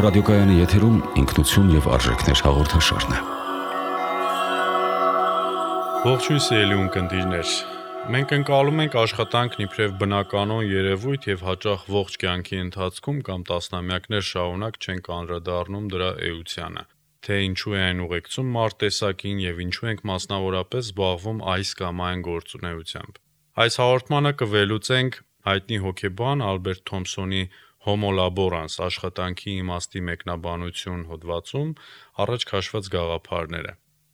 ռադիոկայանի եթերում ինքնություն եւ արժեքներ հաղորդաշարն է։ Ողջույն սիրելի ունկնդիրներ։ Մենք ընկալում ենք աշխատանքն իբրև բնականon երևույթ եւ հաճախ ողջ կյանքի ընթացքում կամ տասնամյակներ շարունակ չենք անդրադառնում դրա էությանը։ Թե ինչու է այն ուղեկցում մարտտեսակին եւ ինչու ենք մասնավորապես զբաղվում այս կամ այն գործունեությամբ։ Այս հաղորդմանը կվելուծենք հայտնի հոկեբան Ալբերտ Թոմսոնի Homo laborans աշխատանքի իմաստի մեկնաբանություն հոդվածում առաջ քաշված գաղափարները։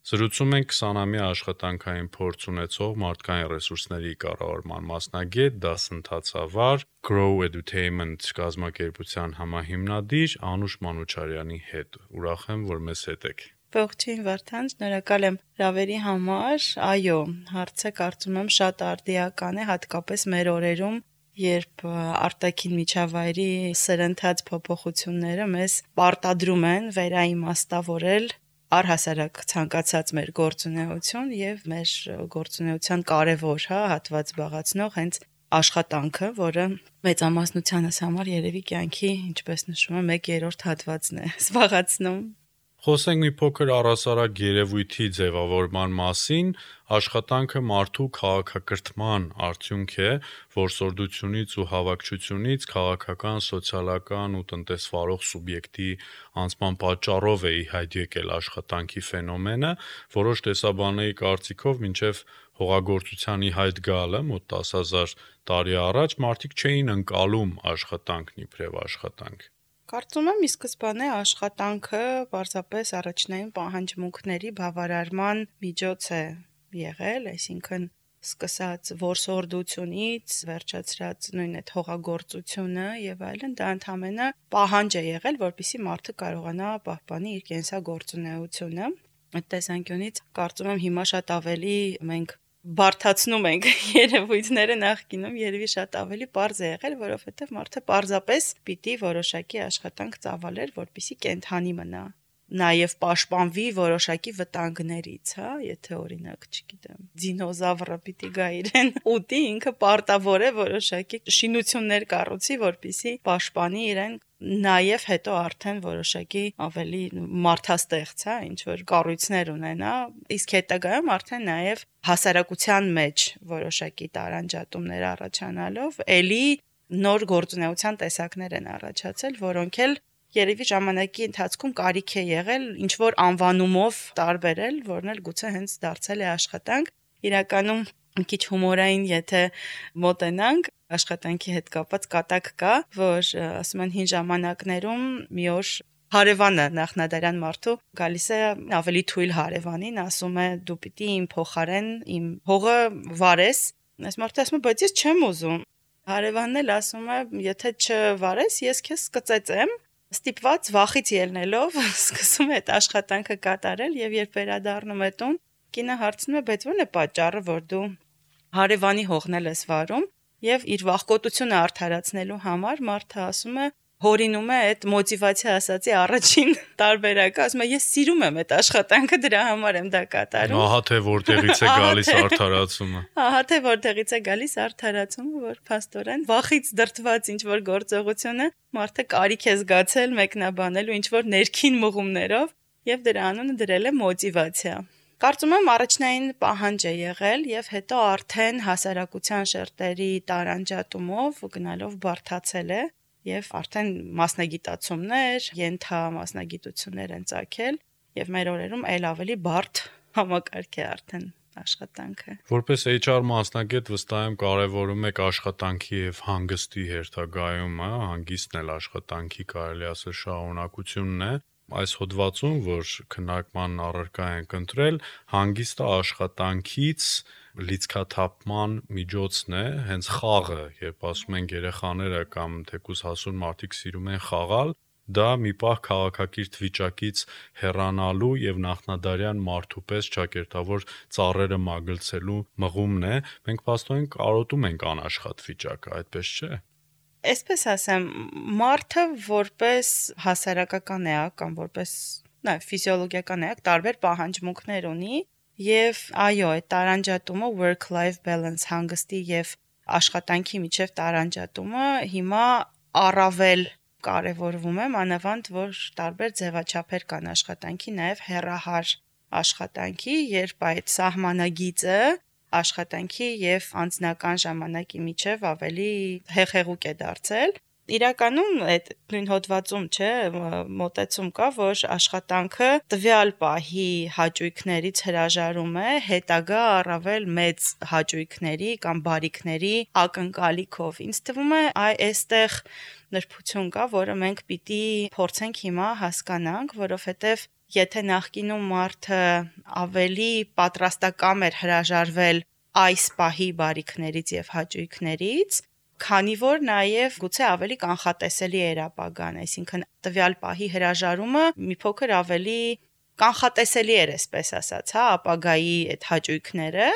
Զրուցում ենք 20-ամյա աշխատանքային փորձ ունեցող մարդկային ռեսուրսների կառավարման մասնագետ, դասընթացավար Grow Edutainment կազմակերպության համահիմնադիր Անուշ Մանուչարյանի հետ։ Ուրախ եմ, որ մեզ հետ եք։ Ողջույն Վարդան, շնորհակալ եմ հրավերի համար։ Այո, հարցը կարծում եմ շատ արդիական է, հատկապես մեր օրերում, երբ արտաքին միջավայրի սրընթաց փոփոխությունները մեզ պարտադրում են վերաիմաստավորել առհասարակ ցանկացած մեր գործունեություն եւ մեր գործունեության կարևոր հատված զբաղեցնող հենց աշխատանքը, որը մեծամասնությանս համար երևի կյանքի, ինչպես նշվում է, 1/3 հատվածն է զբաղեցնում։ Խոսենք մի փոքր առհասարակ երևույթի ձևավորման մասին, աշխատանքը մարդու քաղաքակրթման արդյունք է, որսորդությունից ու հավաքչությունից քաղաքական, սոցիալական ու տնտեսվարող սուբյեկտի անցման պատճառով է ի հայտ եկել աշխատանքի ֆենոմենը, որոշ տեսաբանների կարծիքով մինչև հողագործության ի հայտ գալը մոտ 10,000 տարի առաջ մարդիկ չէին ընկալում աշխատանքն իբրև աշխատանք։ Կարծում եմ, ի սկզբանե աշխատանքը պարզապես առաջնային պահանջմունքների բավարարման միջոց է եղել, այսինքն սկսած որսորդությունից, վերջացրած նույն այդ հողագործությունը եւ այլն, դա ընդհանրապես պահանջ է եղել, որպեսզի մարդը կարողանա պահպանի իր կենսագործունեությունը։ Այդ տեսանկյունից կարծում եմ հիմա շատ ավելի մենք բարթացնում ենք երևույթները, նախկինում երևի շատ ավելի պարզ է եղել, որովհետև մարդը պարզապես պիտի որոշակի աշխատանք ծավալեր, որպեսզի կենդանի մնա, նաև պաշտպանվի որոշակի վտանգներից, եթե օրինակ, չգիտեմ, դինոզավրը պիտի գա իրեն ուտի, ինքը պարտավոր է որոշակի շինություններ կառուցի, որպեսզի պաշտպանի իրեն, նաև հետո արդեն որոշակի ավելի մարդաստեղծ, ինչ որ կառույցներ ունենա, իսկ հետագայում արդեն նաև հասարակության մեջ որոշակի տարանջատումներ առաջանալով էլի նոր գործունեության տեսակներ են առաջացել, որոնք էլ երևի ժամանակի ընթացքում կարիք է եղել ինչ որ անվանումով տարբերել, որն էլ գուցե հենց դարձել է աշխատանք։ Իրականում մի քիչ հումորային, եթե մոտենանք, աշխատանքի հետ կապված կատակ կա, որ ասում են հին ժամանակներում մի օր հարևանը նախնադարյան մարդու գալիս է ավելի թույլ հարևանին, ասում է դու պիտի իմ փոխարեն իմ հողը վարես։ Այս մարդը ասում է բայց ես չեմ ուզում։ Հարևանն էլ ասում է եթե չվարես, ես քեզ կծեծեմ։ Ստիպված վախից ելնելով սկսում է այդ աշխատանքը կատարել եւ երբ վերադառնում է տուն, կինը հարցնում է բայց ո՞րն է պատճառը, որ դու հարևանի հողն ես վարում եւ իր վախկոտությունը արդարացնելու համար մարդը ասում է հորինում է այդ մոտիվացիա ասացի առաջին տարբերակը, ասում է ես սիրում եմ այդ աշխատանքը, դրա համար եմ դա կատարում։ Ահա թե որտեղից է գալիս արդարացումը։ Ահա թե որտեղից է գալիս արդարացումը, որ փաստորեն վախից դրդված ինչ որ գործողությունը մարդը կարիք է զգացել մեկնաբանելու ինչ որ ներքին մղումներով եւ դրա անունը դրել է մոտիվացիա։ Կարծում եմ առաջնային պահանջ է եղել եւ հետո արդեն հասարակության շերտերի տարանջատումով գնալով բարթացել է եւ արդեն մասնագիտացումներ, ենթամասնագիտություններ են ծագել եւ մեր օրերում այլ ավելի բարդ համակարգ է արդեն աշխատանքը։ Որպես HR մասնագետ վստահ եմ կարևորում եք աշխատանքի եւ հանգստի հերթագայումը, հանգիստն էլ աշխատանքի կարելի ասել շարունակությունն է։ Այս հոդվածում, որ քննարկման առարկա ենք ընտրել, հանգիստը աշխատանքից լիցքաթափման միջոցն է, հենց խաղը, երբ ասում են երեխաները կամ թեկուզ հասուն մարդիկ սիրում են խաղալ, դա մի պահ քաղաքակիրթ վիճակից հեռանալու եւ նախնադարյան մարդու պես ճակերտավոր ծառերը մագլցելու մղումն է։ Մենք փաստորեն կարոտում ենք անաշխատ վիճակը, այդպես չէ՞։ Այսպես ասեմ, մարդը որպես հասարակական էակ կամ որպես ֆիզիոլոգիական էակ տարբեր պահանջմունքներ ունի եւ այո, այդ տարանջատումը work-life balance հանգստի եւ աշխատանքի միջև տարանջատումը հիմա առավել կարևորվում է, մանավանդ որ տարբեր ձևաչափեր կան աշխատանքի, նաև հեռահար աշխատանքի, երբ այդ սահմանագիծը աշխատանքի եւ անձնական ժամանակի միջև ավելի հեղեղուկ է դարձել։ Իրականում այդ նույն հոդվածում, մոտեցում կա, որ աշխատանքը տվյալ պահի հաճույքներից հրաժարում է հետագա առավել մեծ հաճույքների կամ բարիքների ակնկալիքով։ Ինձ թվում է այստեղ նրբություն կա, որը մենք պիտի փորձենք հիմա հասկանանք, որովհետև եթե նախկինում մարդը ավելի պատրաստակամ էր հրաժարվել այս պահի բարիքներից եւ հաճույքներից, քանի որ նաև գուցե ավելի կանխատեսելի էր ապագան, այսինքն տվյալ պահի հրաժարումը մի փոքր ավելի կանխատեսելի էր, այսպես ասած, ապագայի այդ հաճույքները,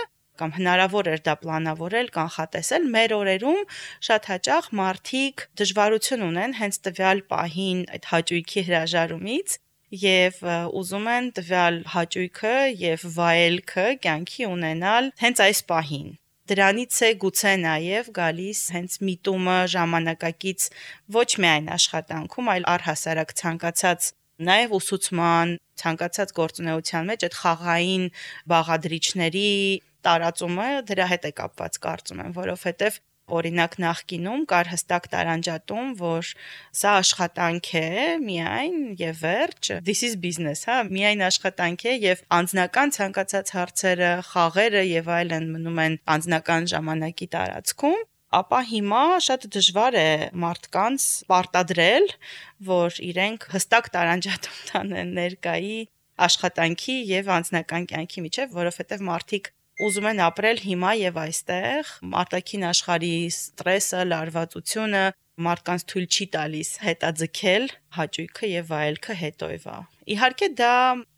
կամ հնարավոր էր դա պլանավորել, կանխատեսել։ Մեր օրերում շատ հաճախ մարդիկ դժվարություն ունեն հենց տվյալ պահին այդ հաճույքի հրաժարումից եւ ուզում են տվյալ հաճույքը եւ վայելքը կյանքի ունենալ հենց այս պահին։ Դրանից է գուցե նաև գալիս հենց միտումը ժամանակակից ոչ միայն աշխատանքում, այլ առհասարակ ցանկացած նաև ուսուցման, ցանկացած գործունեության մեջ այդ խաղային բաղադրիչների տարածումը դրա հետ է կապված, կարծում եմ, որովհետև օրինակ նախկինում կար հստակ տարանջատում, որ սա աշխատանք է միայն եւ վերջ, this is business, միայն աշխատանք է եւ անձնական ցանկացած հարցերը, խաղերը եւ այլն մնում են անձնական ժամանակի տարածքում, ապա հիմա շատ դժվար է մարդկանց պարտադրել, որ իրենք հստակ տարանջատում տանեն ներկայի աշխատանքի եւ անձնական կյանքի միջեւ, որովհետեւ մարդիկ ուզում են ապրել հիմա եւ այստեղ, արտաքին աշխարհի ստրեսը, լարվածությունը մարդկանց թույլ չի տալիս հետաձգել հաճույքը եւ վայելքը հետոյվա։ Իհարկե դա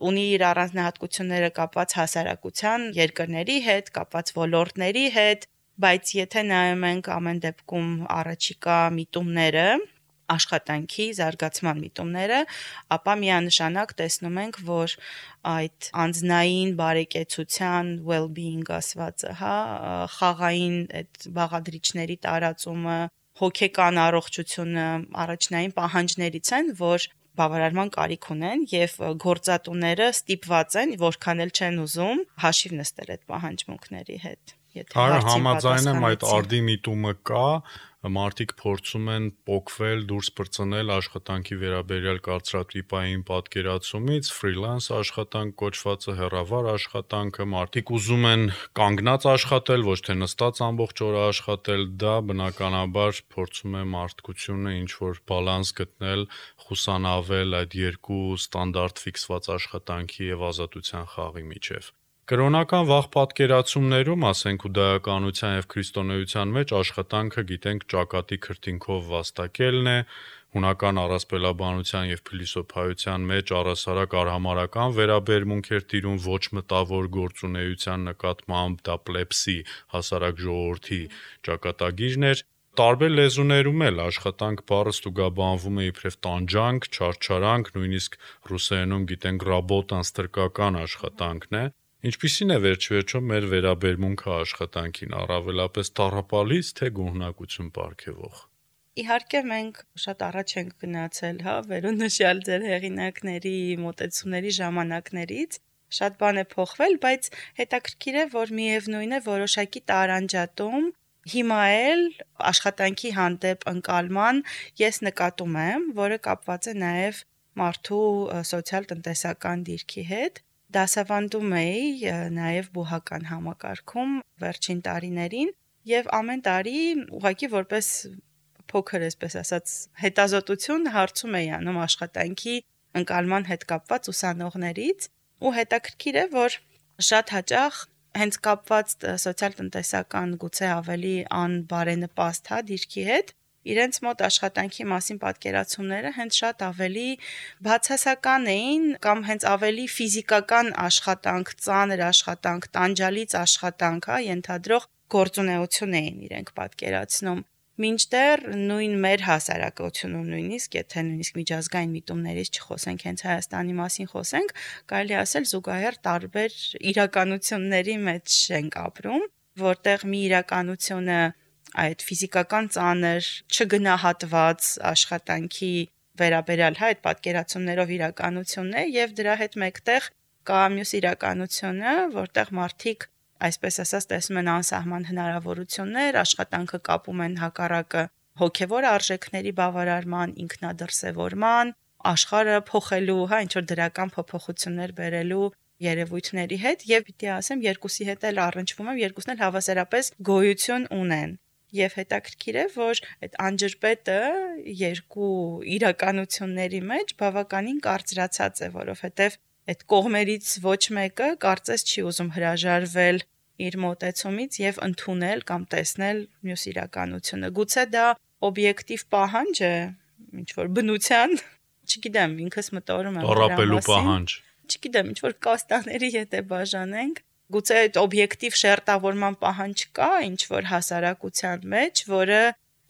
ունի իր առանձնահատկությունները կապված հասարակության երկրների հետ, կապված ոլորտների հետ, բայց եթե նայում ենք ամեն դեպքում առաջիկա միտումները, աշխատանքի զարգացման միտումները, ապա միանշանակ տեսնում ենք, որ այդ անձնային բարեկեցության well-being ասվածը, խաղային այդ բաղադրիչների տարածումը, հոգեկան առողջությունը առաջնային պահանջներից են, որ բավարարման կարիք ունեն եւ գործատուները ստիպված են, որքան էլ չեն ուզում, հաշիվ նստել այդ պահանջմունքների հետ։ Համաձայն եմ, այդ արդի միտումը կա, մարդիկ փորձում են պոկվել, դուրս բրծնել աշխատանքի վերաբերյալ կարծրատիպային պատկերացումից, ֆրիլանս աշխատանք կոչվածը, հեռավար աշխատանքը, մարդիկ ուզում են կանգնած աշխատել, ոչ թե նստած ամբողջ օրը աշխատել, դա բնականաբար փորձում է մարդկությունը ինչ-որ բալանս գտնել, խուսանավել այդ երկու ստանդարտ ֆիքսված աշխատանքի եւ ազատության խաղի միջեւ։ Կրոնական վաղ պատկերացումներում, ասենք հուդայականության եւ քրիստոնեության մեջ աշխատանքը գիտենք ճակատի քրտինքով վաստակելն է, հունական առասպելաբանության եւ փիլիսոփայության մեջ առասարակ արհամարական վերաբերմունք էր տիրում ոչ մտավոր գործունեության նկատմամբ, դա պլեպսի հասարակ ժողովրդի ճակատագիրն էր։ Տարբեր լեզուներում էլ աշխատանք բառը ստուգաբանվում է իբրև տանջանք, չարչարանք, նույնիսկ ռուսերենում գիտենք ռաբոտան ստրկական աշխատանքն է։ Ինչպիսին է վերջիվերջո մեր վերաբերմունքը աշխատանքին, առավելապես տառապալից, թե գոհունակություն պարգևող։ Իհարկե մենք շատ առաջ ենք գնացել, վերոնշյալ ձեր հեղինակների մոտեցումների ժամանակներից, շատ բան է փոխվել, բայց հետաքրքիր է, որ միևնույն է որոշակի տարանջատում հիմա էլ աշխատանքի հանդեպ ընկալման ես նկատում եմ, որը կապված է նաև մարդու սոցիալ-տնտեսական դիրքի հետ։ Դասավանդում էի նաև բուհական համակարգում վերջին տարիներին եւ ամեն տարի ուղղակի որպես փոքր, այսպես ասած, հետազոտություն հարցում էի անում աշխատանքի ընկալման հետ կապված ուսանողներից ու հետաքրքիր է, որ շատ հաճախ հենց կապված սոցիալ-տնտեսական գուցե ավելի անբարենպաստ դիրքի հետ իրենց մոտ աշխատանքի մասին պատկերացումները հենց շատ ավելի բացասական էին կամ հենց ավելի ֆիզիկական աշխատանք, ծանր աշխատանք, տանջալից աշխատանք, ենթադրող գործունեություն էին իրենք պատկերացնում։ Մինչդեռ նույն մեր հասարակությունում նույնիսկ, եթե նույնիսկ միջազգային միտումներից չխոսենք, հենց Հայաստանի մասին խոսենք, կարելի ասել զուգահեռ տարբեր իրականությունների մեջ ենք ապրում, որտեղ մի իրականությունը այդ ֆիզիկական ծանր, չգնահատված աշխատանքի վերաբերյալ այդ պատկերացումներով իրականությունն է եւ դրա հետ մեկտեղ կա մյուս իրականությունը, որտեղ մարդիկ այսպես ասած տեսնում են անսահման հնարավորություններ, աշխատանքը կապում են հակառակը հոգեվոր արժեքների բավարարման, ինքնադրսևորման, աշխարհը փոխելու, ինչ որ դրական փոփոխություններ բերելու երևույթների հետ եւ պիտի ասեմ երկուսի հետ էլ առնչվում եմ, երկուսն էլ հավասարապես գոյություն ունեն։ Եվ հետաքրքիր է, որ այդ անջրպետը երկու իրականությունների մեջ բավականին կարծրացած է, որովհետեւ այդ կողմերից ոչ մեկը կարծես չի ուզում հրաժարվել իր մոտեցումից եւ ընդունել կամ տեսնել մյուս իրականությունը։ Գուցե դա օբյեկտիվ պահանջ է, ինչ որ բնության, չգիտեմ, ինքս մտորում եմ տառապելու պահանջ։ Չգիտեմ, ինչ որ կաստաների հետ է բաժանենք, գուցե այդ օբյեկտիվ շերտավորման պահանջ կա, ինչ որ հասարակության մեջ, որը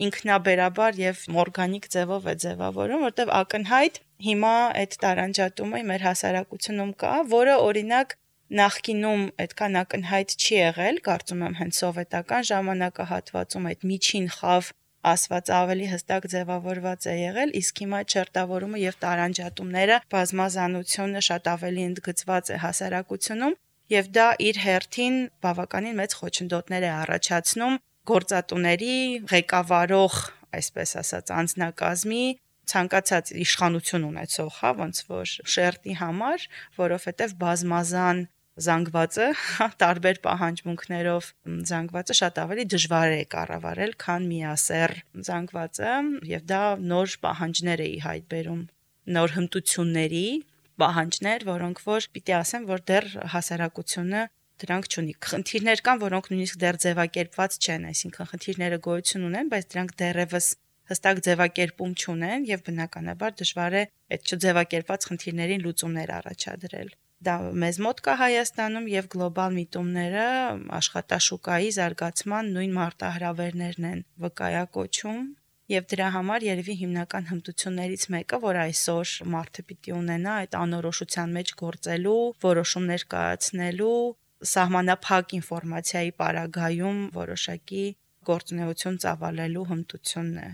ինքնաբերաբար եւ օրգանիկ ձևով է ձևավորում, որտեղ ակնհայտ հիմա այդ տարանջատումը մեր հասարակությունում կա, որը օրինակ նախկինում այդքան ակնհայտ չի եղել, կարծում եմ հենց սովետական ժամանակահատվածում այդ միջին խավ ասված ավելի հստակ ձևավորված է եղել, իսկ հիմա չերտավորումը եւ տարանջատումները բազմազանությունը շատ ավելի ընդգծված է հասարակությունում եւ դա իր հերթին բավականին մեծ խոչընդոտներ է առաջացնում գործատուների ղեկավարող, այսպես ասած, անձնակազմի ցանկացած իշխանություն ունեցող, ոնց որ շերտի համար, որովհետեւ բազմազան զանգվածը, տարբեր պահանջմունքներով զանգվածը շատ ավելի դժվար է կառավարել, քան միասեռ զանգվածը, եւ դա նոր պահանջներ է ի հայտ բերում, նոր հմտությունների պահանջներ, որոնք որ պիտի ասեմ, որ դեռ հասարակությունը դրանք չունի։ Խնդիրներ կան, որոնք նույնիսկ դեռ ձևակերպված չեն, այսինքն խնդիրները գոյություն ունեն, բայց դրանք դեռևս հստակ ձևակերպում չունեն եւ բնականաբար դժվար է այդ չձևակերպված խնդիրներին լուծումներ առաջադրել։ Դա մեզ մոտ կա Հայաստանում եւ գլոբալ միտումները աշխատաշուկայի զարգացման նույն մարտահրավերներն են վկայակոչում եւ դրա համար երևի հիմնական հմտություններից մեկը, որ այսօր մարդը պիտի ունենա այդ անորոշության մեջ գործելու, որոշումներ կայացնելու, սահմանափակ ինֆորմացիայի պարագայում որոշակի գործունեություն ծավալելու հմտությունն է։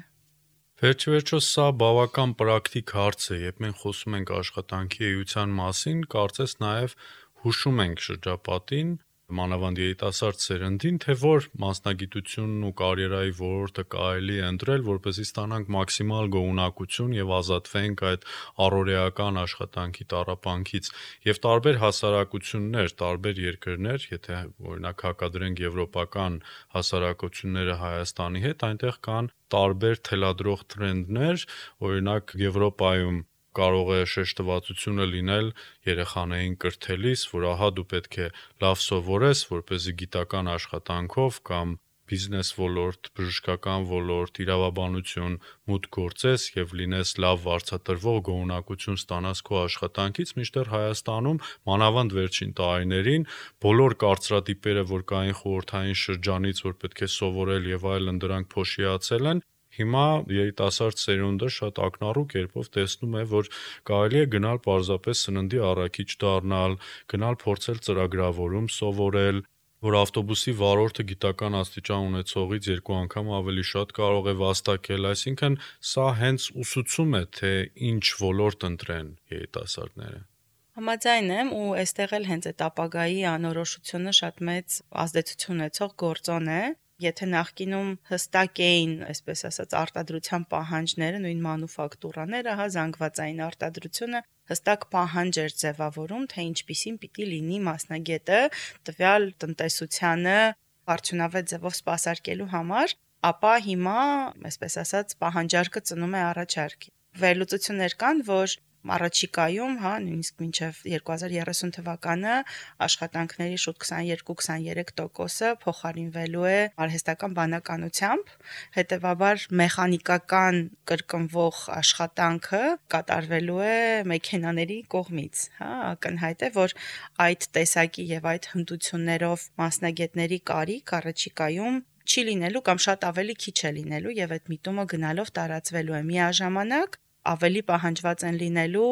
Վերջիվերջո սա բավական պրակտիկ հարց է, երբ մենք խոսում ենք աշխատանքի էության մասին, կարծես նաև հուշում ենք շրջապատին, մանավանդ երիտասարդ սերնդին, թե որ մասնագիտությունն ու կարիերայի ոլորտը կարելի է ընտրել, որպեսզի ստանանք մաքսիմալ գոհունակություն եւ ազատվենք այդ առօրեական աշխատանքի տառապանքից։ Եվ տարբեր հասարակություններ, տարբեր երկրներ, եթե օրինակ հակադրենք եվրոպական հասարակությունները Հայաստանի հետ, այնտեղ կան տարբեր թելադրող տրենդներ, օրինակ Եվրոպայում կարող է շեշտվածությունը լինել երեխաներին կրթելիս, որ ահա դու պետք է լավ սովորես, որպեսզի գիտական աշխատանքով կամ բիզնես ոլորտ, բժշկական ոլորտ, իրավաբանություն մուտք գործես եւ լինես լավ վարձատրվող գոհունակություն ստանաս քո աշխատանքից, մինչդեռ Հայաստանում մանավանդ վերջին տարիներին բոլոր կարծրատիպերը, որ կային խորհրդային շրջանից, որ պետք է սովորել եւ այլն, դրանք փոշիացել են։ Հիմա երիտասարդ սերունդը շատ ակնառու կերպով տեսնում է, որ կարելի է գնալ պարզապես սննդի առաքիչ դառնալ, գնալ փորձել ծրագրավորում սովորել, որ ավտոբուսի վարորդը գիտական աստիճան ունեցողից 2 անգամ ավելի շատ կարող է վաստակել, այսինքն սա հենց ուսուցում է, թե ինչ ոլորտ ընտրեն երիտասարդները։ Համաձայն եմ ու այստեղ էլ հենց այդ ապագայի անորոշությունը շատ մեծ ազդեցություն ունեցող գործոն է։ Եթե նախկինում հստակ էին, այսպես ասած, արտադրության պահանջները, նույն մանուֆակտուրաները, զանգվածային արտադրությունը հստակ պահանջ էր ձևավորում, թե ինչպիսին պիտի լինի մասնագետը տվյալ տնտեսությանը արդյունավետ ձևով սպասարկելու համար, ապա հիմա, այսպես ասած, պահանջարկը ծնում է առաջարկ։ Վերլուծություններ կան, որ առաջիկայում, նույնիսկ մինչև 2030 թվականը աշխատանքների շուտ 22-23% փոխարինվելու է արհեստական բանականությամբ, հետևաբար մեխանիկական կրկնվող աշխատանքը կատարվելու է մեքենաների կողմից, ակնհայտ է, որ այդ տեսակի եւ այդ հմտություններով մասնագետների կարիք առաջիկայում չի լինելու կամ շատ ավելի քիչ է լինելու եւ այդ միտումը գնալով տարածվելու է միաժամանակ ավելի պահանջված են լինելու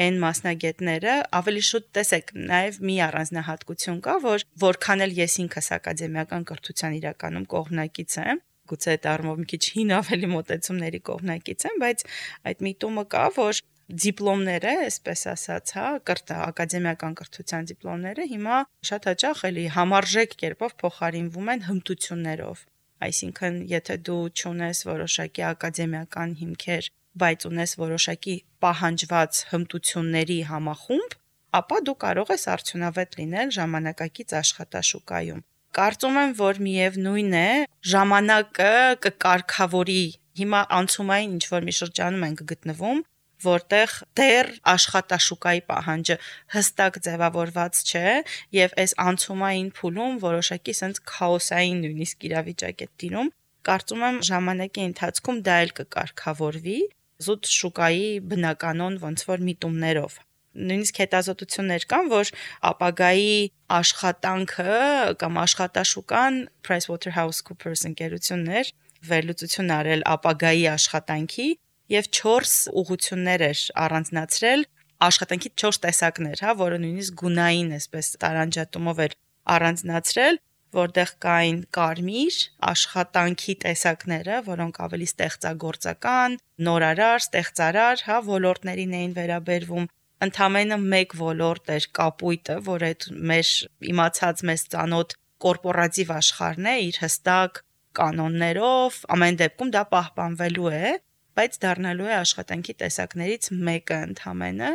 այն մասնագետները, ավելի շուտ տեսեք, նաև մի առանձնահատկություն կա, որ որքան էլ ես ինքս ակադեմիական կրթության իրականում կողմնակից եմ, գուցե այդ առումով մի քիչ հին ավելի մոտեցումների կողմնակից եմ, բայց այդ միտումը կա, որ դիպլոմները, այսպես ասած, ակադեմիական կրթության դիպլոմները հիմա շատ հաճախ էլի համարժեք կերպով փոխարինվում են հմտություններով։ Այսինքն, եթե դու չունես որոշակի ակադեմիական հիմքեր, բայց ունես որոշակի պահանջված հմտությունների համախումբ, ապա դու կարող ես արդյունավետ լինել ժամանակակից աշխատաշուկայում։ Կարծում եմ, որ միևնույն է, ժամանակը կկարգավորի։ Հիմա անցումային ինչ-որ մի շրջանում ենք գտնվում, որտեղ դեռ աշխատաշուկայի պահանջը հստակ ձևավորված չէ, եւ այս անցումային փուլում որոշակի sense քաոսային նույնիսկ իրավիճակ է տիրում։ Կարծում եմ ժամանակի ընթացքում դա էլ կկարգավորվի զուտ շուկայի բնականon ոնց որ միտումներով։ Նույնիսկ հետազոտություններ կան, որ ապագայի աշխատանքը կամ աշխատաշուկան PricewaterhouseCoopers ընկերություններ վերլուծություն արել ապագայի աշխատանքի եւ 4 ուղղություններ էր առանձնացրել, աշխատանքի 4 տեսակներ, որը նույնիսկ գունային այսպես տարանջատումով էր առանձնացրել, որտեղ կային կարմիր աշխատանքի տեսակները, որոնք ավելի ստեղծագործական, նորարար, ստեղծարար, ոլորտներին էին վերաբերվում։ Ընդամենը մեկ ոլորտ էր կապույտը, որ այդ մեր իմացած մեզ ծանոթ կորպորատիվ աշխարհն է իր հստակ կանոններով, ամեն դեպքում դա պահպանվելու է, բայց դառնալու է աշխատանքի տեսակներից մեկը ընդամենը։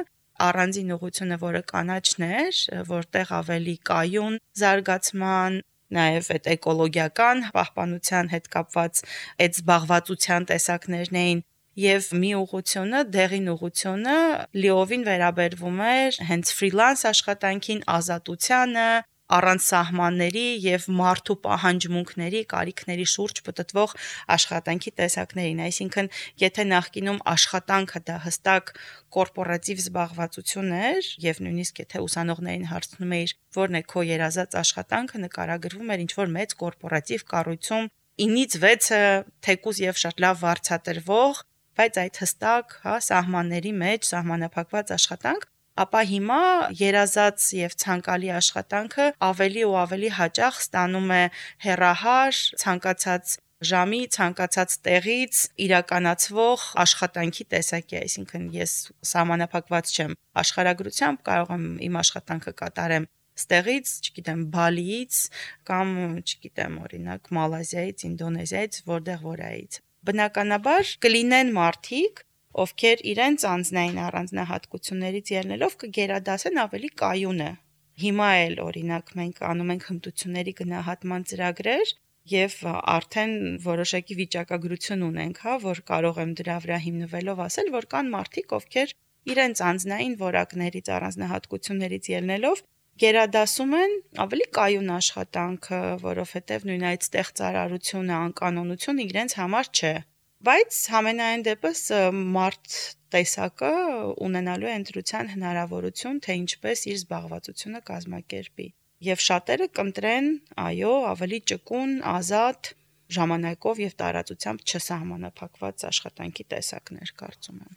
Առանձին ուղղությունը, որը կանաչն էր, որտեղ ավելի կայուն զարգացման, նաև այդ էկոլոգիական պահպանության հետ կապված այդ զբաղվածության տեսակներն էին, եւ մի ուղղությունը, դեղին ուղղությունը լիովին վերաբերվում էր հենց ֆրիլանս աշխատանքին, ազատությանը, առանց սահմանների եւ մարդու պահանջմունքների, կարիքների շուրջ պտտվող աշխատանքի տեսակներին։ Այսինքն, եթե նախկինում աշխատանքը դա հստակ կորպորատիվ զբաղվածություն էր եւ նույնիսկ եթե ուսանողներին հարցնում էիր, որն է քո երազած աշխատանքը, նկարագրվում էր ինչ-որ մեծ կորպորատիվ կառույցում 9-ից 6-ը թեկուզ եւ շատ լավ վարձատրվող, բայց այդ հստակ, սահմանների մեջ սահմանափակված աշխատանք, ապա հիմա երազած եւ ցանկալի աշխատանքը ավելի ու ավելի հաճախ ստանում է հեռահար, ցանկացած ժամի, ցանկացած տեղից իրականացվող աշխատանքի տեսակի, այսինքն ես սահմանափակված չեմ աշխարհագրությամբ, կարող եմ իմ աշխատանքը կատարեմ ստեղից, չգիտեմ, Բալիից կամ, չգիտեմ, օրինակ Մալազիայից, Ինդոնեզիայից, որտեղ-որայից։ Բնականաբար կլինեն մարդիկ, ովքեր իրենց անձնային առանձնահատկություններից ելնելով կգերադասեն ավելի կայունը։ Հիմա էլ օրինակ մենք անում ենք հմտությունների գնահատման ծրագրեր եւ արդեն որոշակի վիճակագրություն ունենք, որ կարող եմ դրա վրա հիմնվելով ասել, որ կան մարդիկ, ովքեր իրենց անձնային որակներից առանձնահատկություններից ելնելով գերադասում են ավելի կայուն աշխատանքը, որովհետև նույն այդ ստեղծարարությունը, անկանոնությունը իրենց համար չէ։ Բայց համենայն դեպս մարդ տեսակը ունենալու է ընտրության հնարավորություն, թե ինչպես իր զբաղվածությունը կազմակերպի։ Եվ շատերը կընտրեն, այո, ավելի ճկուն, ազատ, ժամանակով եւ տարածությամբ չսահմանափակված աշխատանքի տեսակներ, կարծում եմ։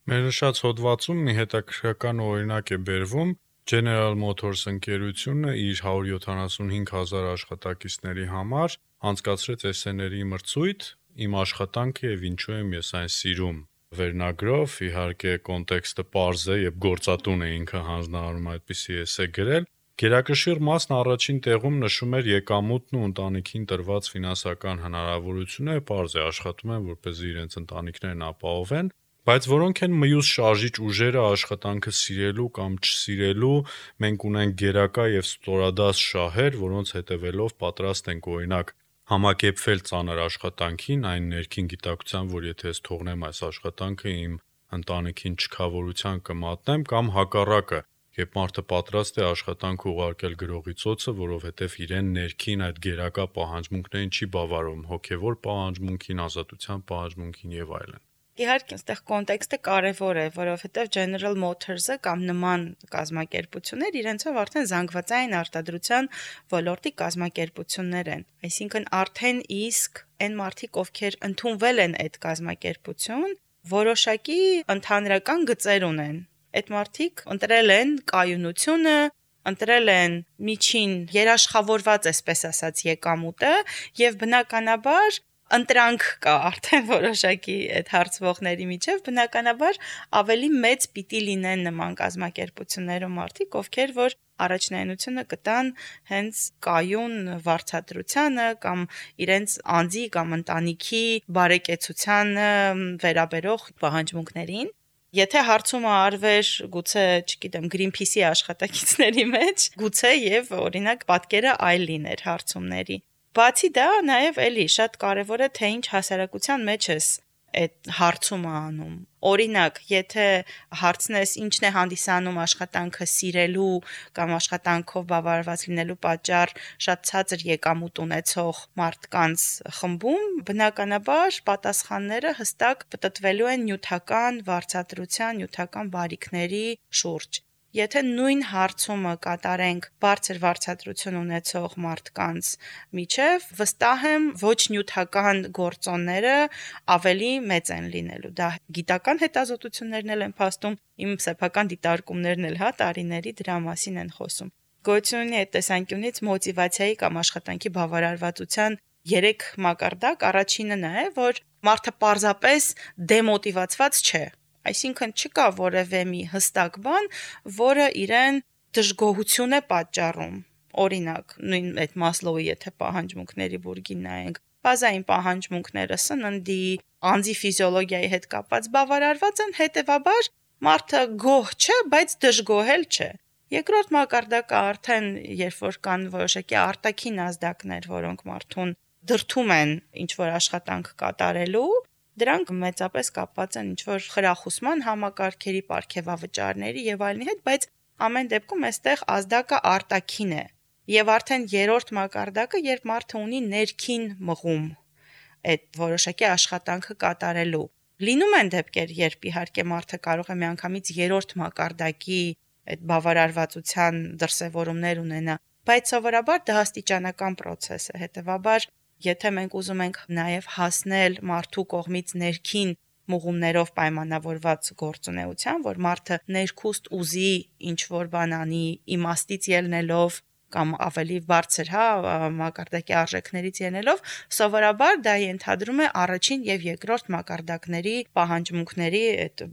Մեր նշած հոդվածում մի հետաքրքրական օրինակ է բերվում General Motors ընկերությունը իր 175,000 աշխատակիցների համար անցկացրեց էսսեների մրցույթ «Իմ աշխատանքը եւ ինչու եմ ես այն սիրում» վերնագրով, իհարկե կոնտեքստը պարզ է եւ գործատուն է ինքը հանձնարարում այդպիսի էսսե գրել։ Գերակշիռ մասն առաջին տեղում նշում էր եկամուտն ու ընտանիքին տրված ֆինանսական հնարավորությունը, պարզ է աշխատում են, որպեսզի իրենց ընտանիքներն ապահովեն, բայց որոնք են մյուս շարժիչ ուժերը աշխատանքը սիրելու կամ չսիրելու, մենք ունենք գերակա եւ ստորադաս շահեր, որոնց հետևելով պատրաստ ենք օրինակ համակերպվել ծանր աշխատանքին, այն ներքին գիտակցության, որ եթե ես թողնեմ այս աշխատանքը իմ ընտանիքին չքավորության կմատնեմ, կամ հակառակը, երբ մարդը պատրաստ է աշխատանքը ուղարկել գրողի ծոցը, որովհետև իրեն ներքին այդ գերակա պահանջմունքներին չի բավարարում, հոգևոր պահանջմունքին, ազատության պահանջմունքին եւ այլն։ Իհարկե, այստեղ կոնտեքստը կարևոր է, որովհետև General Motors-ը կամ նման կազմակերպություններ իրենցով արդեն զանգվածային արտադրության ոլորտի կազմակերպություններ են։ Այսինքն արդեն իսկ այն մարդիկ, ովքեր ընդունվել են այդ կազմակերպություն, որոշակի ընդհանրական գծեր ունեն։ Այդ մարդիկ ընտրել են կայունությունը, ընտրել են միջին երաշխավորված, այսպես ասած, եկամուտը եւ բնականաբար ընտրանք կա արդեն որոշակի այդ հարցվողների միջև, բնականաբար ավելի մեծ պիտի լինեն նման կազմակերպություններում մարդիկ, ովքեր որ առաջնայնությունը կտան հենց կայուն վարձատրությանը կամ իրենց անձի կամ ընտանիքի բարեկեցությանը վերաբերող պահանջմունքներին։ Եթե հարցումը արվեր գուցե, չգիտեմ, Greenpeace-ի աշխատակիցների մեջ, գուցե եւ օրինակ պատկերը այլ լիներ հարցումների։ Բացի դա, նաև էլի շատ կարևոր է թե ինչ հասարակության մեջ ես այդ հարցումը անում։ Օրինակ, եթե հարցնես ինչն է հանդիսանում աշխատանքը սիրելու կամ աշխատանքով բավարարված լինելու պատճառ շատ ցածր եկամուտ ունեցող մարդկանց խմբում, բնականաբար պատասխանները հստակ պտտվելու են նյութական վարձատրության, նյութական բարիքների շուրջ։ Եթե նույն հարցումը կատարենք բարձր վարձատրություն ունեցող մարդկանց միջև, վստահ եմ ոչ նյութական գործոնները ավելի մեծ են լինելու։ Դա գիտական հետազոտություններն էլ են փաստում, իմ սեփական դիտարկումներն էլ տարիների դրա մասին են խոսում։ Գոյություն ունի այդ տեսանկյունից մոտիվացիայի կամ աշխատանքի բավարարվածության 3 մակարդակ, առաջինը նա է, որ մարդը պարզապես դեմոտիվացված չէ։ Այսինքն չկա որևէ մի հստակ բան, որը իրեն դժգոհություն է պատճառում։ Օրինակ, նույն այդ Մասլոուի եթե պահանջմունքների բուրգին նայենք, բազային պահանջմունքները սննդի, անձի ֆիզիոլոգիայի հետ կապված բավարարված են, հետևաբար մարդը գոհ չէ, բայց դժգոհել չէ։ Երկրորդ մակարդակը արդեն երբ որ կան որոշակի արտաքին ազդակներ, որոնք մարդուն դրդում են ինչ-որ աշխատանք կատարելու, դրանք մեծապես կապված են ինչ-որ խրախուսման համակարգերի, պարգևավճարների եւ այլնի հետ, բայց ամեն դեպքում այստեղ ազդակը արտաքին է։ Եվ արդեն երրորդ մակարդակը, երբ մարդը ունի ներքին մղում այդ որոշակի աշխատանքը կատարելու։ Լինում են դեպքեր, երբ իհարկե մարդը կարող է միանգամից երրորդ մակարդակի այդ բավարարվածության դրսևորումներ ունենա, բայց սովորաբար դա աստիճանական process է, հետևաբար եթե մենք ուզում ենք նաև հասնել մարդու կողմից ներքին մղումներով պայմանավորված գործունեության, որ մարդը ներքուստ ուզի ինչ-որ բան անի, իմաստից ելնելով կամ ավելի բարձր, մակարդակի արժեքներից ելնելով, սովորաբար դա ենթադրում է առաջին եւ երկրորդ մակարդակների պահանջմունքների այդ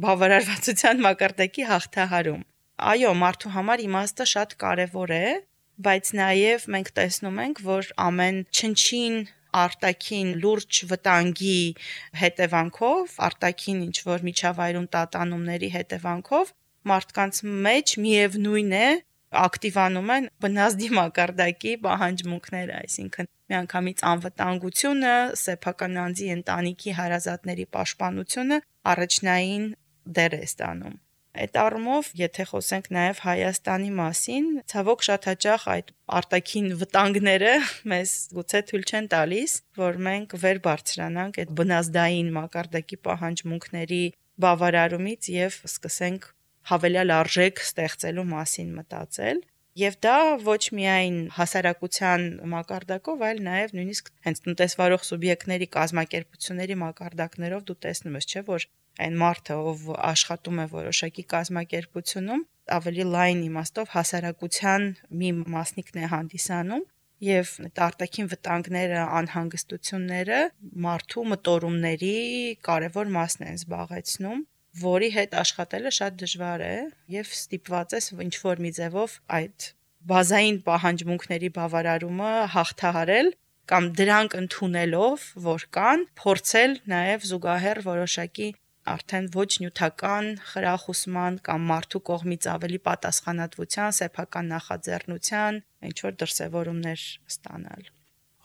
բավարարվածության մակարդակի հաղթահարում։ Այո, մարդու համար իմաստը շատ կարևոր է, բայց նաև մենք տեսնում ենք, որ ամեն չնչին արտաքին լուրջ վտանգի հետևանքով, արտաքին ինչ-որ միջավայրում տատանումների հետևանքով մարդկանց մեջ միևնույն է ակտիվանում են բնազդի մակարդակի պահանջմունքները, այսինքն միանգամից անվտանգությունը, սեփական անձի ընտանիքի հարազատների պաշտպանությունը առաջնային դեր է ստանում։ Այդ առումով, եթե խոսենք նաև Հայաստանի մասին, ցավոք շատ հաճախ այդ արտաքին վտանգները մեզ գուցե թույլ չեն տալիս, որ մենք վեր բարձրանանք այդ բնազդային մակարդակի պահանջմունքների բավարարումից եւ սկսենք հավելյալ արժեք ստեղծելու մասին մտածել։ Եվ դա ոչ միայն հասարակության մակարդակով, այլ նաև նույնիսկ հենց տնտեսվարող սուբյեկտների կազմակերպությունների մակարդակներով դու տեսնում ես, չէ՞, որ այն մարդը, ով աշխատում է որոշակի կազմակերպությունում, ավելի լայն իմաստով հասարակության մի մասնիկն է հանդիսանում եւ այդ արտաքին վտանգները, անհանգստությունները մարդու մտորումների կարևոր մասն են զբաղեցնում, որի հետ աշխատելը շատ դժվար է եւ ստիպված ես ինչ-որ մի ձևով այդ բազային պահանջմունքների բավարարումը հաղթահարել կամ դրանք ընդունելով, որ կան, փորձել նաեւ զուգահեռ որոշակի արդեն ոչ նյութական խրախուսման կամ մարդու կողմից ավելի պատասխանատվության, սեփական նախաձեռնության ինչ-որ դրսևորումներ ստանալ։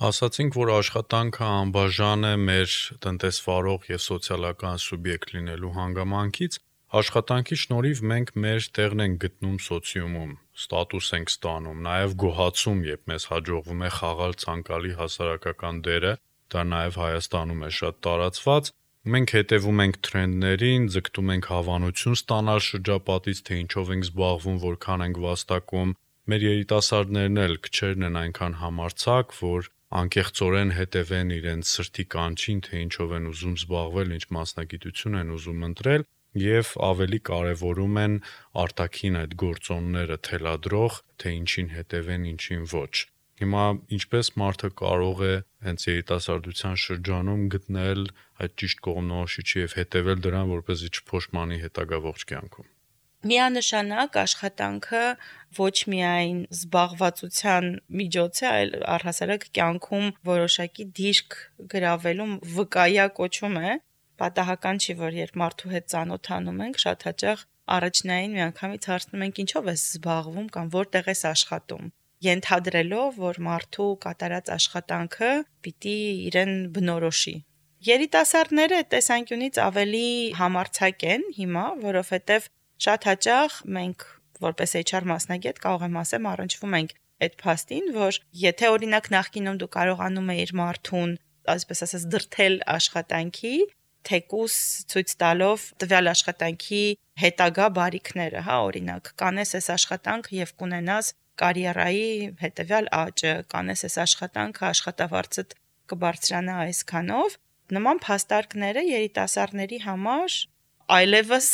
Ասացինք, որ աշխատանքը անբաժան է մեր տնտեսվարող եւ սոցիալական սուբյեկտ լինելու հանգամանքից, աշխատանքի շնորհիվ մենք մեր տեղն ենք գտնում սոցիումում, ստատուս ենք ստանում, նաեւ գոհացում, երբ մեզ հաջողվում է խաղալ ցանկալի հասարակական դերը, դա նաեւ Հայաստանում է շատ տարածված։ Մենք հետևում ենք թրենդներին, ձգտում ենք հավանություն ստանալ շրջապատից, թե ինչով ենք զբաղվում, որքան ենք վաստակում։ Մեր երիտասարդներն էլ քչերն են այնքան համարձակ, որ անկեղծորեն հետևեն իրենց սրտի կանչին, թե ինչով են ուզում զբաղվել, ինչ մասնագիտություն են ուզում ընտրել եւ ավելի կարեւորում են արտաքին այդ գործոնները թելադրող, թե ինչին հետևեն, ինչին ոչ։ Հիմա ինչպես մարդը կարող է հենց երիտասարդության շրջանում գտնել այդ ճիշտ կողմնորոշիչը եւ հետեւել դրան, որպեսզի չփոշմանի հետագա ողջ կյանքում։ Միանշանակ աշխատանքը ոչ միայն զբաղվածության միջոց է, այլ առհասարակ կյանքում որոշակի դիրք գրավելու վկայակոչում է։ Պատահական չի, որ երբ մարդու հետ ծանոթանում ենք, շատ հաճախ առաջնային միանգամից հարցնում ենք ինչով ես զբաղվում կամ որտեղ ես աշխատում, ենթադրելով, որ մարդու կատարած աշխատանքը պիտի իրեն բնորոշի։ Երիտասարդները այդ տեսանկյունից ավելի համարձակ են հիմա, որովհետև շատ հաճախ մենք որպես HR մասնագետ կարող եմ ասեմ առնչվում ենք այդ փաստին, որ եթե օրինակ նախկինում դու կարողանում էիր մարդուն, այսպես ասած, դրթել աշխատանքի, թեկուս ցույց տալով տվյալ աշխատանքի հետագա բարիքները, հա, օրինակ, կանես այս աշխատանքը եւ կունենաս կարիերայի հետեւյալ աճը, կանես այս աշխատանքը աշխատավարձդ կբարձրանա այսքանով, նման փաստարկները երիտասարդների համար այլևս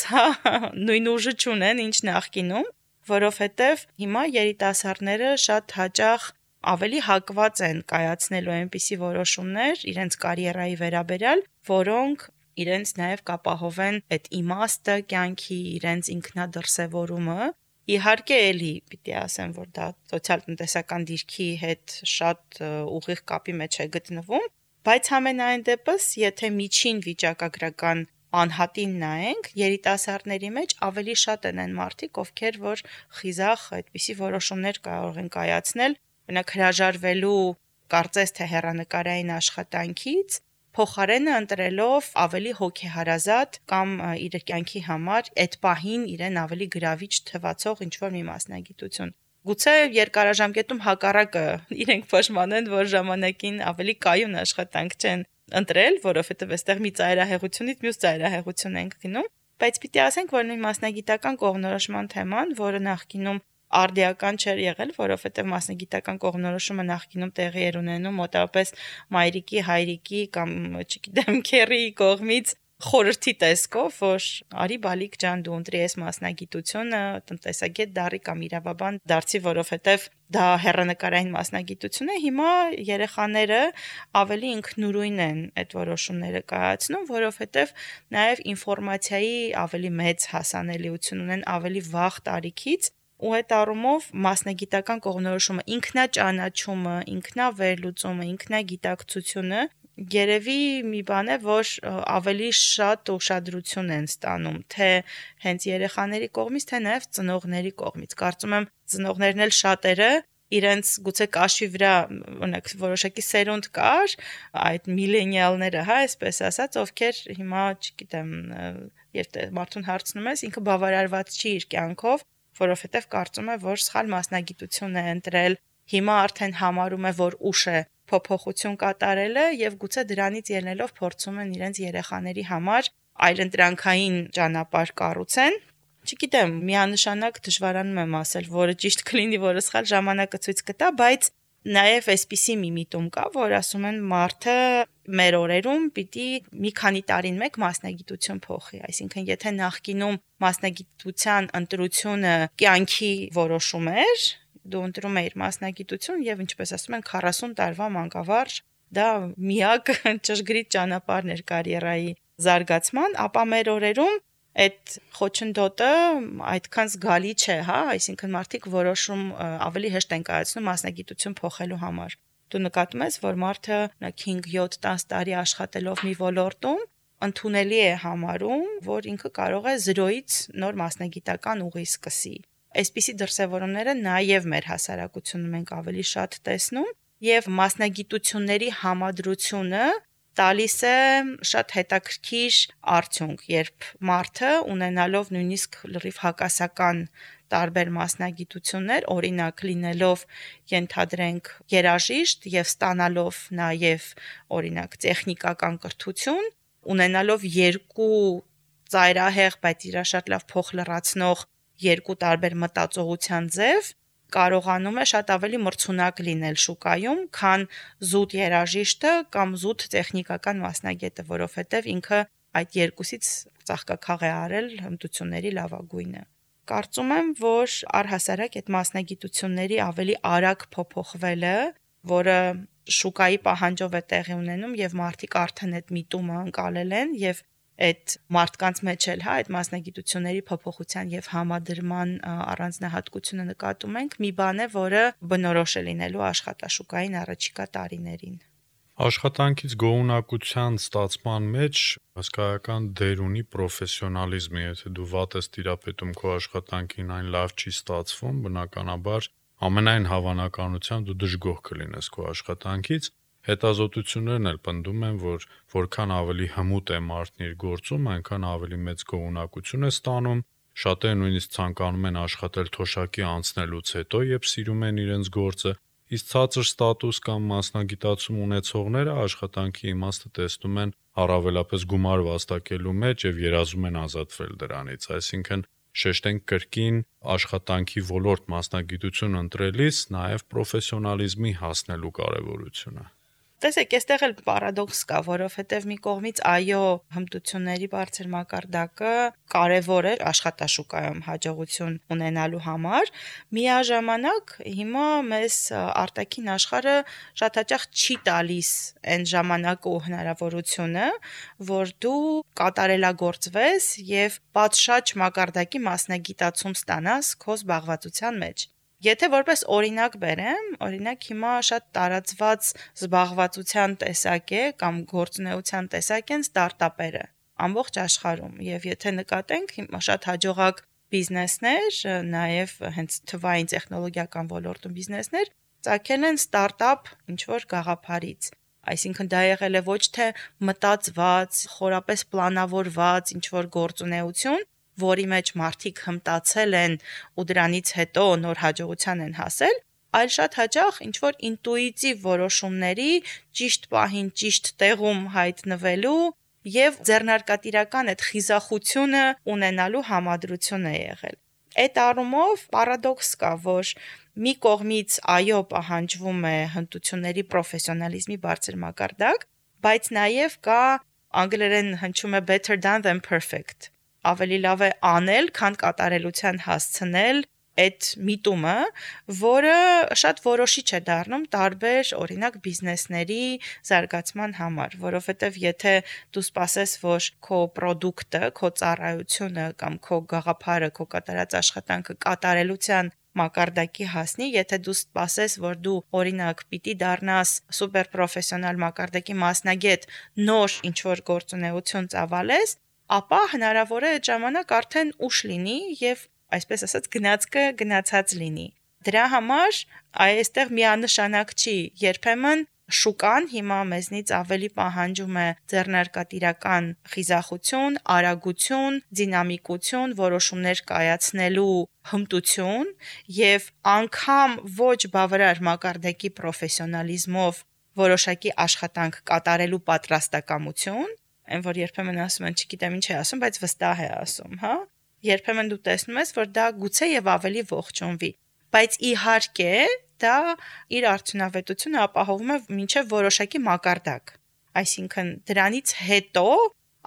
նույն ուժը չունեն, ինչ նախկինում, որովհետև հիմա երիտասարդները շատ հաճախ ավելի հակված են կայացնելու այնպիսի որոշումներ իրենց կարիերայի վերաբերյալ, որոնք իրենց նաև կապահովեն այդ իմաստը կյանքի, իրենց ինքնադրսևորումը։ Իհարկե էլի պիտի ասեմ, որ դա սոցիալ-տնտեսական դիրքի հետ շատ ուղիղ կապի մեջ է գտնվում, բայց համենայն դեպս, եթե միջին վիճակագրական անհատին նայենք, երիտասարդների մեջ ավելի շատ են այն մարդիկ, ովքեր որ խիզախ այդպիսի որոշումներ կարող են կայացնել, օրինակ հրաժարվելու կարծես թե հեռանկարային աշխատանքից, փոխարենը ընտրելով ավելի հոգեհարազատ կամ իր կյանքի համար այդ պահին իրեն ավելի գրավիչ թվացող ինչ-որ մի մասնագիտություն։ Գուցե երկարաժամկետում հակառակը իրենք փոշմանեն, որ ժամանակին ավելի կայուն աշխատանք չեն ընտրել, որովհետև այստեղ մի ծայրահեղությունից մյուս ծայրահեղություն ենք գնում, բայց պիտի ասենք, որ նույն մասնագիտական կողմնորոշման թեման, որը նախկինում արդիական չէր եղել, որովհետև մասնագիտական կողմնորոշումը նախկինում տեղի էր ունենում մոտավորապես մայրիկի, հայրիկի կամ, չգիտեմ, քեռիի կողմից խորհրդի տեսքով, որ արի բալիկ ջան դու ընտրի այս մասնագիտությունը, տնտեսագետ դառի կամ իրավաբան դարձի, որովհետև դա հեռանկարային մասնագիտություն է, հիմա երեխաները ավելի ինքնուրույն են այդ որոշումները կայացնում, որովհետև նաև ինֆորմացիայի ավելի մեծ հասանելիություն ունեն ավելի վաղ տարիքից, ու այդ առումով մասնագիտական կողմնորոշումը, ինքնաճանաչումը, ինքնավերլուծումը, ինքնագիտակցությունը երևի մի բան է, որ ավելի շատ ուշադրություն են ստանում, թե հենց երեխաների կողմից, թե նաև ծնողների կողմից։ Կարծում եմ ծնողներն էլ շատերը իրենց գուցե կաշվի վրա օրինակ որոշակի սերունդ կար, այդ միլենիալները, հա, այսպես ասած, ովքեր հիմա, չգիտեմ, երբ մարդուն հարցնում ես, ինքը բավարարված չի իր կյանքով, որովհետև կարծում է, որ սխալ մասնագիտություն է ընտրել, հիմա արդեն համարում է, որ ուշ է փոփոխություն կատարելը եւ գուցե դրանից ելնելով փորձում են իրենց երեխաների համար այլընտրանքային ճանապարհ կառուցեն։ Չգիտեմ, միանշանակ դժվարանում եմ ասել, որը ճիշտ կլինի, որը սխալ, ժամանակը ցույց կտա, բայց նաև այսպիսի մի միտում կա, որ ասում են մարդը մեր օրերում պիտի մի քանի տարին մեկ մասնագիտություն փոխի, այսինքն եթե նախկինում մասնագիտության ընտրությունը կյանքի որոշում էր, դու ընտրում էիր մասնագիտություն եւ ինչպես ասում են 40 տարվա մանկավարժ դա միակ ճշգրիտ ճանապարհն էր կարիերայի զարգացման, ապա մեր օրերում այդ խոչընդոտը այդքան զգալի չէ, հա, այսինքն մարդիկ որոշում ավելի հեշտ են կայացնում մասնագիտություն փոխելու համար։ Դու նկատում ես, որ մարդը 5-7-10 տարի աշխատելով մի ոլորտում ընդունելի է համարում, որ ինքը կարող է 0-ից նոր մասնագիտական ուղի սկսի։ Այսպիսի դրսևորումները նաև մեր հասարակությունում ենք ավելի շատ տեսնում եւ մասնագիտությունների համադրությունը տալիս է շատ հետաքրքիր արդյունք, երբ մարդը ունենալով նույնիսկ լրիվ հակասական տարբեր մասնագիտություններ, օրինակ լինելով ենթադրենք երաժիշտ եւ ստանալով նաեւ օրինակ տեխնիկական կրթություն, ունենալով երկու ծայրահեղ, բայց իրա շատ լավ փոխ լրացնող երկու տարբեր մտածողության ձև կարողանում է շատ ավելի մրցունակ լինել շուկայում, քան զուտ երաժիշտը կամ զուտ տեխնիկական մասնագետը, որովհետև ինքը այդ երկուսից ծաղկաքաղ է արել հմտությունների լավագույնը։ Կարծում եմ, որ առհասարակ այդ մասնագիտությունների ավելի արագ փոփոխվելը, որը շուկայի պահանջով է տեղի ունենում եւ մարդիկ արդեն այդ միտումը անցալել են եւ այդ մարդկանց մեջ էլ, այդ մասնագիտությունների փոփոխության եւ համադրման առանձնահատկությունը նկատում ենք, մի բան է, որը բնորոշ է լինելու աշխատաշուկային առաջիկա տարիներին։ Աշխատանքից գոհունակության ստացման մեջ հսկայական դեր ունի պրոֆեսիոնալիզմը, եթե դու վատ ես տիրապետում քո աշխատանքին, այն լավ չի ստացվում, բնականաբար ամենայն հավանականությամբ դու դժգոհ կլինես քո աշխատանքից։ Հետազոտություններն էլ պնդում են, որ որքան ավելի հմուտ է մարդն իր գործում, այնքան ավելի մեծ գոհունակություն է ստանում։ Շատերը նույնիսկ ցանկանում են աշխատել թոշակի անցնելուց հետո, երբ սիրում են իրենց գործը, իսկ ցածր ստատուս կամ մասնագիտացում ունեցողները աշխատանքի իմաստը տեսնում են առավելապես գումար վաստակելու մեջ եւ երազում են ազատվել դրանից, այսինքն շեշտենք կրկին աշխատանքի ոլորտ մասնագիտություն ընտրելիս նաև պրոֆեսիոնալիզմի հասնելու կարևորությունը։ Տեսեք, այստեղ էլ պարադոքս կա, որովհետև մի կողմից այո, հմտությունների բարձր մակարդակը կարևոր է աշխատաշուկայում հաջողություն ունենալու համար, միաժամանակ հիմա մեզ արտաքին աշխարհը շատ հաճախ չի տալիս այն ժամանակը ու հնարավորությունը, որ դու կատարելագործվես եւ պատշաճ մակարդակի մասնագիտացում ստանաս քո զբաղվածության մեջ։ Եթե որպես օրինակ բերեմ, օրինակ հիմա շատ տարածված զբաղվածության տեսակ է կամ գործունեության տեսակ են ստարտափերը ամբողջ աշխարհում եւ եթե նկատենք հիմա շատ հաջողակ բիզնեսներ, նաեւ հենց թվային տեխնոլոգիական ոլորտում բիզնեսներ ծագել են ստարտափ ինչ որ գաղափարից, այսինքն դա եղել է ոչ թե մտածված, խորապես պլանավորված ինչ որ գործունեություն, որի մեջ մարդիկ հմտացել են ու դրանից հետո նոր հաջողության են հասել, այլ շատ հաճախ ինչ-որ ինտուիտիվ որոշումների ճիշտ պահին, ճիշտ տեղում հայտնվելու եւ ձեռնարկատիրական այդ խիզախությունը ունենալու համադրություն է եղել։ Այդ առումով պարադոքս կա, որ մի կողմից այո պահանջվում է հմտությունների պրոֆեսիոնալիզմի բարձր մակարդակ, բայց նաեւ կա անգլերեն հնչում է better than perfect։ Ավելի լավ է անել, քան կատարելության հասցնել այդ միտումը, որը շատ որոշիչ է դառնում տարբեր, օրինակ, բիզնեսների զարգացման համար, որովհետև եթե դու սպասես, որ քո պրոդուկտը, քո ծառայությունը կամ քո գաղափարը, քո կատարած աշխատանքը կատարելության մակարդակի հասնի, եթե դու սպասես, որ դու օրինակ պիտի դառնաս սուպեր պրոֆեսիոնալ մակարդակի մասնագետ, նոր ինչ-որ գործունեություն ծավալես, ապա հնարավոր է այդ ժամանակ արդեն ուշ լինի եւ այսպես ասած գնացքը գնացած լինի։ Դրա համար այստեղ միանշանակ չի, երբեմն շուկան հիմա մեզնից ավելի պահանջում է ձեռնարկատիրական խիզախություն, արագություն, դինամիկություն, որոշումներ կայացնելու հմտություն եւ անգամ ոչ բավարար մակարդակի պրոֆեսիոնալիզմով որոշակի աշխատանք կատարելու պատրաստակամություն, այն որ երբեմն ասում են, չգիտեմ ինչ է ասում, բայց վստահ է ասում, հա։ Երբեմն դու տեսնում ես, որ դա գուցե եւ ավելի ողջունվի, բայց իհարկե դա իր արդյունավետությունը ապահովում է մինչեւ որոշակի մակարդակ։ Այսինքն դրանից հետո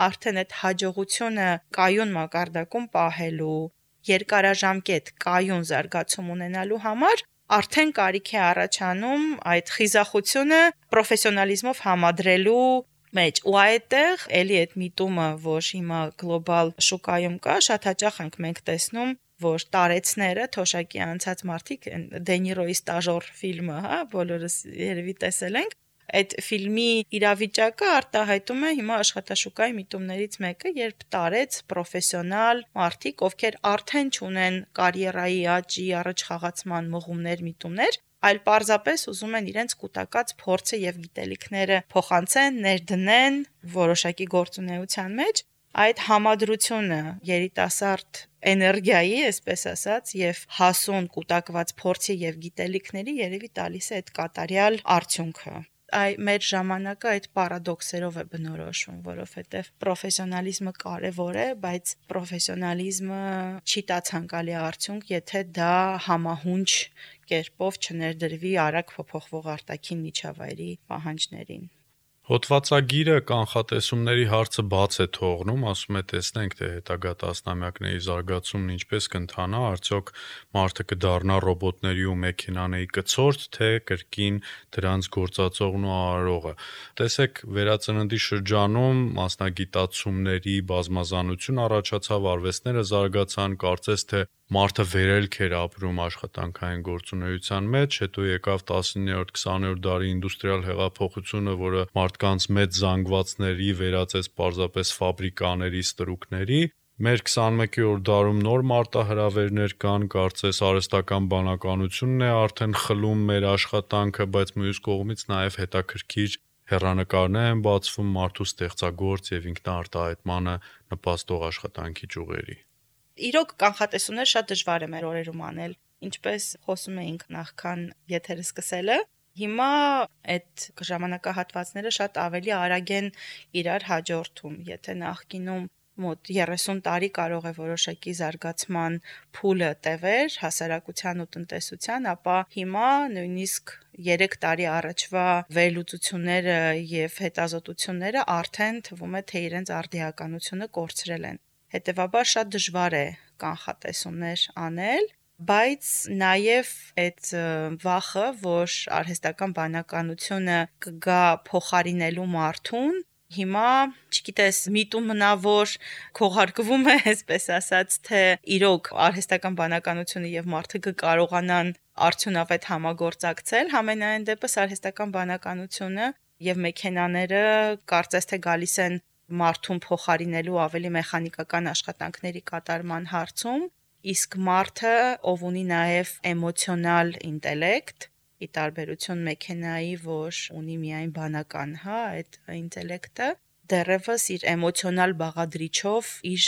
արդեն այդ հաջողությունը կայուն մակարդակում պահելու, երկարաժամկետ կայուն զարգացում ունենալու համար արդեն կարիք է առաջանում այդ խիզախությունը պրոֆեսիոնալիզմով համադրելու մեջ ու այդտեղ էլի այդ միտումը, որ հիմա գլոբալ շուկայում կա, շատ հաճախ ենք մենք տեսնում, որ տարեցները թոշակի անցած մարդիկ Դենիրոյի ստաժոր ֆիլմը, հա, բոլորս երևի տեսել ենք, այդ ֆիլմի իրավիճակը արտահայտում է հիմա աշխատաշուկայի միտումներից մեկը, երբ տարեց պրոֆեսիոնալ մարդիկ, ովքեր արդեն չունեն կարիերայի աճի, առաջխաղացման մղումներ, միտումներ, այլ պարզապես ուզում են իրենց կուտակած փորձը եւ գիտելիքները փոխանցեն, ներդնեն որոշակի գործունեության մեջ, այդ համադրությունը երիտասարդ էներգիայի, այսպես ասած, եւ հասուն կուտակված փորձի եւ գիտելիքների երևի տալիս է այդ կատարյալ արդյունքը։ Մեր ժամանակը այդ պարադոքսերով է բնորոշվում, որովհետև պրոֆեսիոնալիզմը կարևոր է, բայց պրոֆեսիոնալիզմը չի տա ցանկալի արդյունք, եթե դա համահունչ կերպով չներդրվի արագ փոփոխվող արտաքին միջավայրի պահանջներին։ Հոդվածագիրը կանխատեսումների հարցը բաց է թողնում, ասում է տեսնենք, թե հետագա տասնամյակների զարգացումն ինչպես կընթանա, արդյոք մարդը կդառնա ռոբոտների ու մեքենաների կցորդ, թե կրկին դրանց գործածողն ու արարողը։ Տեսեք, վերածննդի շրջանում մասնագիտացումների բազմազանություն առաջացավ, արվեստները զարգացան, կարծես թե մարդը վերելք էր ապրում աշխատանքային գործունեության մեջ, հետո եկավ 19-րդ, 20-րդ դարի ինդուստրիալ հեղափոխությունը, որը մարդկանց մեծ զանգվածների վերածեց պարզապես ֆաբրիկաների, ստրուկների։ Մեր 21-րդ դարում նոր մարտահրավերներ կան, կարծես արհեստական բանականությունն է արդեն խլում մեր աշխատանքը, բայց մյուս կողմից նաև հետաքրքիր հեռանկարներ են բացվում մարդու ստեղծագործ եւ ինքնաարտահայտմանը նպաստող աշխատանքի ճյուղերի։ Իրոք կանխատեսումներ շատ դժվար է մեր օրերում անել, ինչպես խոսում էինք նախքան եթերը սկսելը։ Հիմա այդ ժամանակահատվածները շատ ավելի արագ են իրար հաջորդում, եթե նախկինում մոտ 30 տարի կարող է որոշակի զարգացման փուլը տևեր հասարակության ու տնտեսության, ապա հիմա նույնիսկ 3 տարի առաջվա վերլուծությունները եւ հետազոտությունները արդեն թվում է թե իրենց արդիականությունը կորցրել են։ Հետևաբար շատ դժվար է կանխատեսումներ անել, բայց նաև այդ վախը, որ արհեստական բանականությունը կգա փոխարինելու մարդուն, հիմա, չգիտես, միտումնա որ քողարկվում է, այսպես ասած, թե իրոք արհեստական բանականությունը եւ մարդը կկարողանան արդյունավետ համագործակցել, համենայն դեպս արհեստական բանականությունը եւ մեքենաները կարծես թե գալիս են մարդուն փոխարինելու ավելի մեխանիկական աշխատանքների կատարման հարցում, իսկ մարդը, ով ունի նաև էմոցիոնալ ինտելեկտ, ի տարբերություն մեքենայի, որ ունի միայն բանական, այդ ինտելեկտը, դեռևս իր էմոցիոնալ բաղադրիչով իր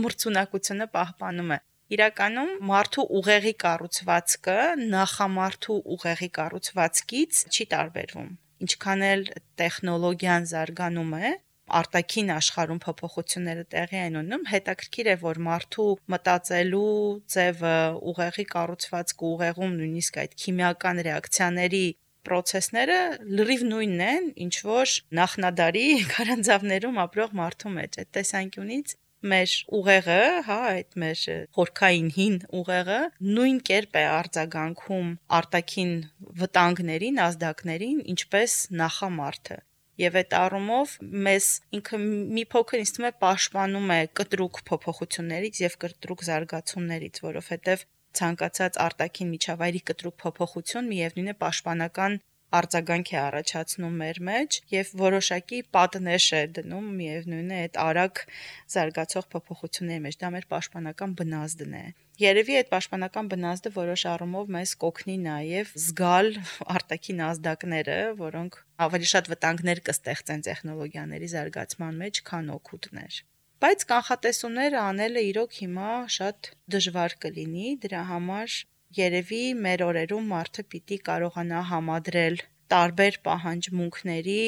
մրցունակությունը պահպանում է։ Իրականում մարդու ուղեղի կառուցվածքը նախամարդու ուղեղի կառուցվածքից չի տարբերվում։ Ինչքան էլ տեխնոլոգիան զարգանում է, արտաքին աշխարհում փոփոխությունները տեղի են ունենում, հետաքրքիր է, որ մարդու մտածելու ձևը, ուղեղի կառուցվածքը, ուղեղում նույնիսկ այդ քիմիական ռեակցիաների պրոցեսները լրիվ նույնն են, ինչ որ նախնադարի քարանձավներում ապրող մարդու մեջ։ Այդ տեսանկյունից մեր ուղեղը, այդ մեր խորքային հին ուղեղը նույն կերպ է արձագանքում արտաքին վտանգներին, ազդակներին, ինչպես նախամարդը։ Եվ այդ առումով մեզ ինքը մի փոքր ինձ թվում է պաշտպանում է կտրուկ փոփոխություններից եւ կտրուկ զարգացումներից, որովհետեւ ցանկացած արտաքին միջավայրի կտրուկ փոփոխություն միևնույն է պաշտպանական արձագանք է առաջացնում մեր մեջ եւ որոշակի պատնեշ է դնում միևնույն է այդ արագ զարգացող փոփոխությունների մեջ, դա մեր պաշտպանական բնազդն է։ Երևի այդ պաշտպանական բնազդը որոշ առումով մեզ կօգնի նաև զգալ արտաքին ազդակները, որոնք ավելի շատ վտանգներ կստեղծեն տեխնոլոգիաների զարգացման մեջ, քան օգուտներ։ Բայց կանխատեսումները անելը իրոք հիմա շատ դժվար կլինի, դրա համար երևի մեր օրերում մարդը պիտի կարողանա համադրել տարբեր պահանջմունքների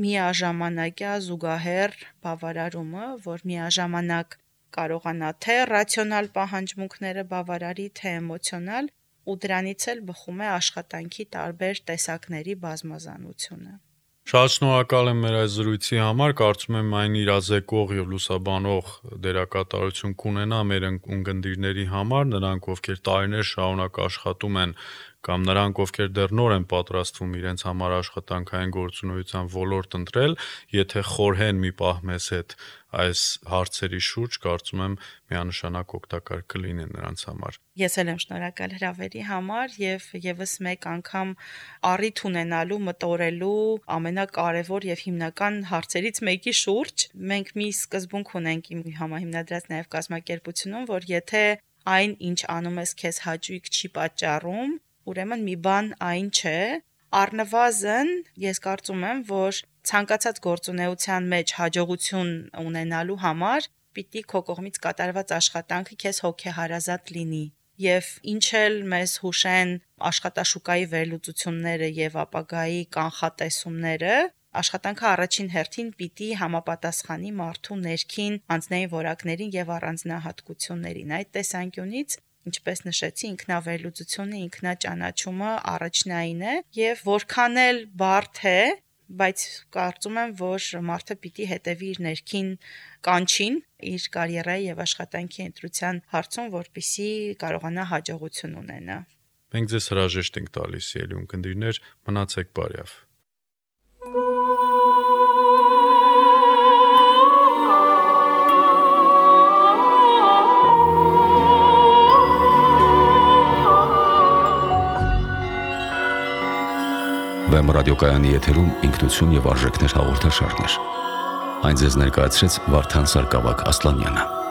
միաժամանակյա զուգահեռ բավարարումը, որ միաժամանակ կարողանա թե ռացիոնալ պահանջմունքները բավարարի, թե էմոցիոնալ, ու դրանից էլ բխում է աշխատանքի տարբեր տեսակների բազմազանությունը։ Շատ շնորհակալ եմ մեր այս զրույցի համար, կարծում եմ այն իրազեկող եւ լուսաբանող դերակատարություն կունենա մեր ունկնդիրների համար, նրանք ովքեր տարիներ շարունակ աշխատում են կամ նրանք ովքեր դեռ նոր են պատրաստվում իրենց համար աշխատանքային գործունեության ոլորտ ընտրել, եթե խորհեն մի պահ մեզ հետ այս հարցերի շուրջ, կարծում եմ միանշանակ օգտակար կլինեն նրանց համար։ Ես էլ եմ շնորհակալ հրավերի համար եւ եւս մեկ անգամ առիթ ունենալու մտորելու ամենակարևոր եւ հիմնական հարցերից մեկի շուրջ։ Մենք մի սկզբունք ունենք իմ համահիմնադրած նաեւ կազմակերպությունում, որ եթե այն, ինչ անում ես, քեզ հաճույք չի պատճառում, ուրեմն մի բան այն չէ, առնվազն ես կարծում եմ, որ ցանկացած գործունեության մեջ հաջողություն ունենալու համար պիտի քո կողմից կատարված աշխատանքը քեզ հոգեհարազատ լինի։ Եվ ինչ էլ մեզ հուշեն աշխատաշուկայի վերլուծությունները եւ ապագայի կանխատեսումները, աշխատանքը առաջին հերթին պիտի համապատասխանի մարդու ներքին անձնային որակներին եւ առանձնահատկություններին։ Այդ տեսանկյունից ինչպես նշեցի, ինքնավերլուծությունը, ինքնաճանաչումը առաջնային է եւ որքան էլ բարդ է, բայց կարծում եմ, որ մարդը պիտի հետևի իր ներքին կանչին իր կարիերայի եւ աշխատանքի ընտրության հարցում, որպեսզի կարողանա հաջողություն ունենա։ Մենք ձեզ հրաժեշտ ենք տալիս, ելի ունկնդիրներ, մնացեք բարյավ։ Վեմ ռադիոկայանի եթերում ինքնություն եւ արժեքներ հաղորդաշարներ։ Այն ձեզ ներկայացրեց Վարդան Սարգսակյան Ասլանյանը։